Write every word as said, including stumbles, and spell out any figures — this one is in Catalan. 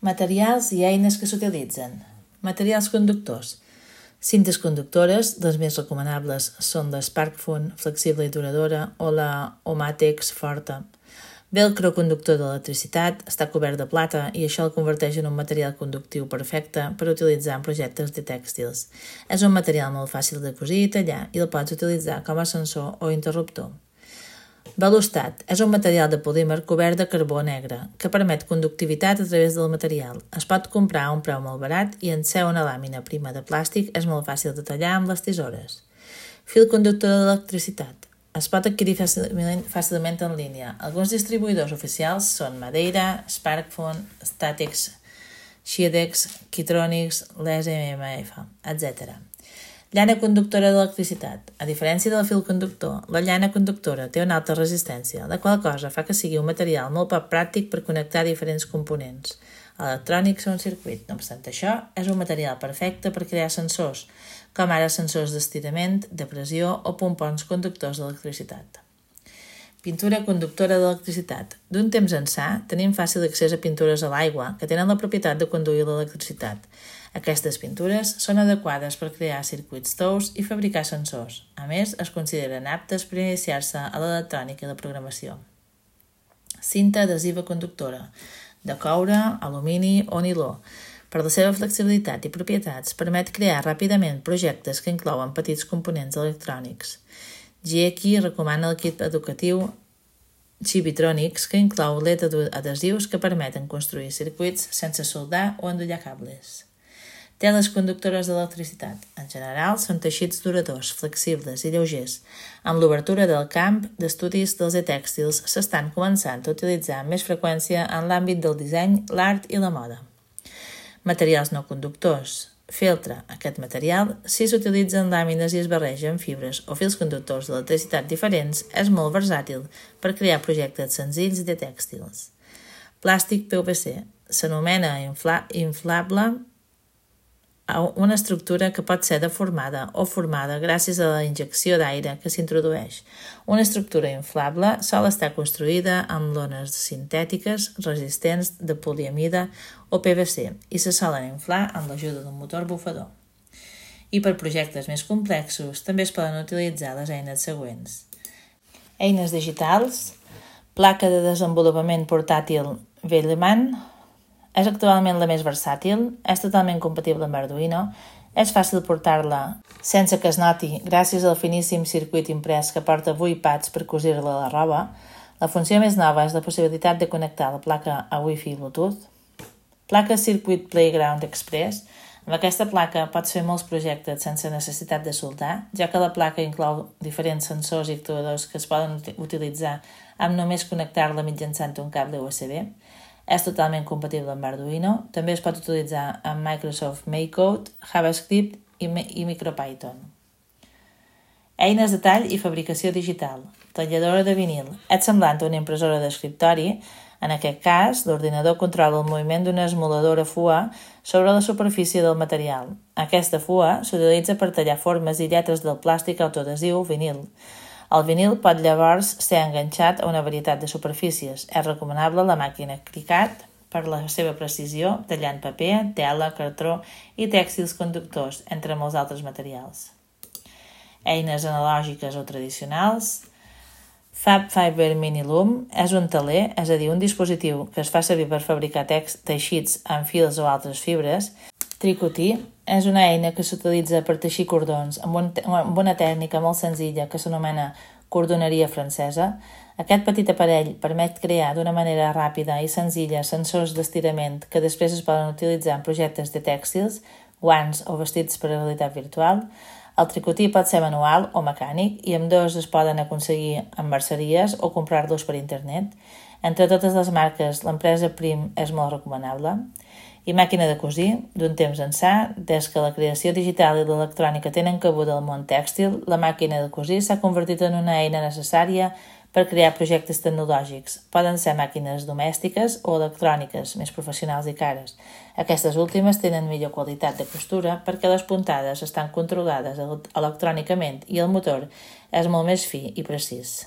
Materials i eines que s'utilitzen. Materials conductors. Cintes conductores, les més recomanables són la SparkFun, flexible i duradora, o la Omatex forta. Velcro conductor d'electricitat, està cobert de plata i això el converteix en un material conductiu perfecte per utilitzar en projectes de tèxtils. És un material molt fàcil de cosir i tallar i el pots utilitzar com a sensor o interruptor. Velostat és un material de polímer cobert de carbó negre que permet conductivitat a través del material. Es pot comprar a un preu molt barat i en ser una làmina prima de plàstic és molt fàcil de tallar amb les tisores. Fil conductor d'electricitat. Es pot adquirir fàcilment, fàcilment en línia. Alguns distribuïdors oficials són Madeira, SparkFun, Statex, Shiedex, Keytronics, l'E S M F, etcètera. Llana conductora d'electricitat. A diferència del fil conductor, la llana conductora té una alta resistència, la qual cosa fa que sigui un material molt poc pràctic per connectar diferents components electrònics a un circuit. No obstant això, és un material perfecte per crear sensors, com ara sensors d'estirament, de pressió o pompons conductors d'electricitat. Pintura conductora d'electricitat. D'un temps ençà, tenim fàcil accés a pintures a l'aigua que tenen la propietat de conduir l'electricitat. Aquestes pintures són adequades per crear circuits tous i fabricar sensors. A més, es consideren aptes per iniciar-se a l'electrònica i la programació. Cinta adhesiva conductora, de coure, alumini o niló. Per la seva flexibilitat i propietats, permet crear ràpidament projectes que inclouen petits components electrònics. Gieki recomana el kit educatiu Chibitronics, que inclou L E D adhesius que permeten construir circuits sense soldar o endollar cables. Teles conductores d'electricitat. En general, són teixits duradors, flexibles i lleugers. Amb l'obertura del camp d'estudis dels e-tèxtils s'estan començant a utilitzar amb més freqüència en l'àmbit del disseny, l'art i la moda. Materials no conductors. Feltre. Aquest material, si s'utilitza en làmines i es barreja amb fibres o fils conductors d'electricitat diferents, és molt versàtil per crear projectes senzills de tèxtils. Plàstic P V C. S'anomena infla- inflable una estructura que pot ser deformada o formada gràcies a la injecció d'aire que s'introdueix. Una estructura inflable sol estar construïda amb lones sintètiques resistents de poliamida o P V C i se solen inflar amb l'ajuda d'un motor bufador. I per projectes més complexos també es poden utilitzar les eines següents. Eines digitals, placa de desenvolupament portàtil Velleman. És actualment la més versàtil, és totalment compatible amb Arduino, és fàcil portar-la sense que es noti gràcies al finíssim circuit imprès que porta vuit pads per cosir-la a la roba. La funció més nova és la possibilitat de connectar la placa a Wi-Fi i Bluetooth. Placa Circuit Playground Express. Amb aquesta placa pots fer molts projectes sense necessitat de soldar, ja que la placa inclou diferents sensors i actuadors que es poden utilitzar amb només connectar-la mitjançant un cable U S B. És totalment compatible amb Arduino, també es pot utilitzar amb Microsoft MakeCode, JavaScript i, i MicroPython. Eines de tall i fabricació digital. Talladora de vinil. És semblant a una impressora d'escriptori. En aquest cas, l'ordinador controla el moviment d'una esmoladora fua sobre la superfície del material. Aquesta fua s'utilitza per tallar formes i lletres del plàstic autoadhesiu vinil. El vinil pot llavors ser enganxat a una varietat de superfícies. És recomanable la màquina Cricut per la seva precisió, tallant paper, tela, cartró i tèxtils conductors, entre molts altres materials. Eines analògiques o tradicionals. FabFiber Mini Loom és un teler, és a dir, un dispositiu que es fa servir per fabricar teixits amb fils o altres fibres. Tricotí és una eina que s'utilitza per teixir cordons amb, un, amb una tècnica molt senzilla que s'anomena cordoneria francesa. Aquest petit aparell permet crear d'una manera ràpida i senzilla sensors d'estirament que després es poden utilitzar en projectes de tèxtils, guants o vestits per a realitat virtual. El tricotí pot ser manual o mecànic i ambdós es poden aconseguir en merceries o comprar-los per internet. Entre totes les marques, l'empresa Prim és molt recomanable. I màquina de cosir, d'un temps ençà, des que la creació digital i l'electrònica tenen cabuda al món tèxtil, la màquina de cosir s'ha convertit en una eina necessària per crear projectes tecnològics. Poden ser màquines domèstiques o electròniques, més professionals i cares. Aquestes últimes tenen millor qualitat de costura perquè les puntades estan controlades electrònicament i el motor és molt més fi i precís.